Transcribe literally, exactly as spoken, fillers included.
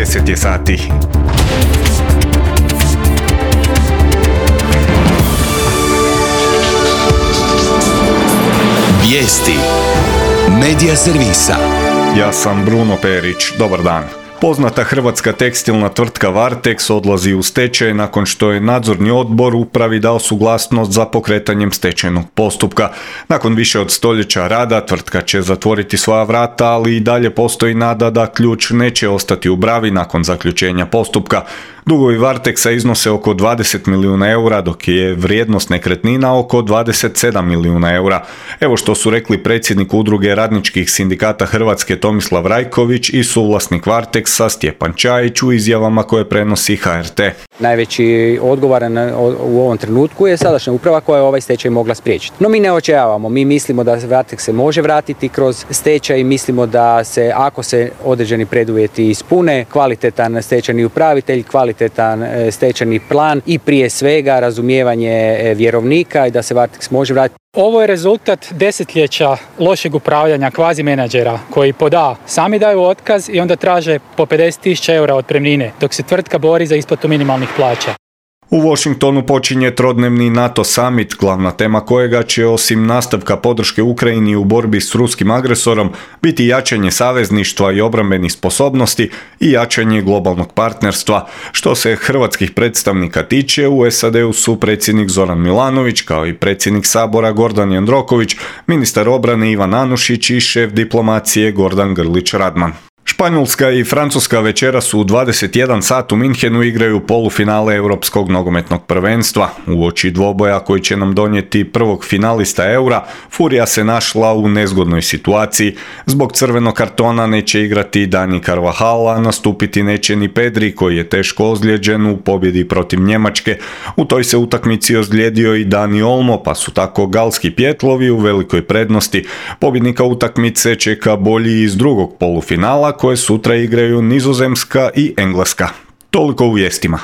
deset je sati. Vijesti Medija servisa. Ja sam Bruno Perić, dobar dan. Poznata hrvatska tekstilna tvrtka Varteks odlazi u stečaj nakon što je nadzorni odbor upravi dao suglasnost za pokretanjem stečajnog postupka. Nakon više od stoljeća rada tvrtka će zatvoriti svoja vrata, ali i dalje postoji nada da ključ neće ostati u bravi nakon zaključenja postupka. Dugovi Varteksa iznose oko dvadeset milijuna eura, dok je vrijednost nekretnina oko dvadeset sedam milijuna eura. Evo što su rekli predsjednik udruge radničkih sindikata Hrvatske Tomislav Rajković i suvlasnik Varteksa Stjepan Čajić u izjavama koje prenosi H R T. Najveći odgovoran u ovom trenutku je sadašnja uprava koja je ovaj stečaj mogla spriječiti. No mi ne očajavamo, mi mislimo da Varteks se može vratiti kroz stečaj i mislimo da se, ako se određeni preduvjeti ispune, kvalitetan stečajni upravitelj, kvalitetan stečajni plan i prije svega razumijevanje vjerovnika i da se Varteks može vratiti. Ovo je rezultat desetljeća lošeg upravljanja kvazi menadžera koji pod A sami daju otkaz i onda traže po pedeset tisuća eura otpremnine, dok se tvrtka bori za isplatu minimalnih plaća. U Washingtonu počinje trodnevni NATO summit, glavna tema kojega će osim nastavka podrške Ukrajini u borbi s ruskim agresorom biti jačanje savezništva i obrambenih sposobnosti i jačanje globalnog partnerstva. Što se hrvatskih predstavnika tiče, u S A D-u su predsjednik Zoran Milanović, kao i predsjednik Sabora Gordan Jandroković, ministar obrane Ivan Anušić i šef diplomacije Gordan Grlić Radman. Španjolska i Francuska večeras u dvadeset jedan sat u Minhenu igraju polufinale Europskog nogometnog prvenstva. Uoči dvoboja koji će nam donijeti prvog finalista Eura, Furija se našla u nezgodnoj situaciji. Zbog crvenog kartona neće igrati Dani Carvajal, a nastupiti neće ni Pedri koji je teško ozlijeđen u pobjedi protiv Njemačke. U toj se utakmici ozlijedio i Dani Olmo, pa su tako galski pjetlovi u velikoj prednosti. Pobjednika utakmice čeka bolji iz drugog polufinala koje sutra igraju Nizozemska i Engleska. Toliko u vijestima.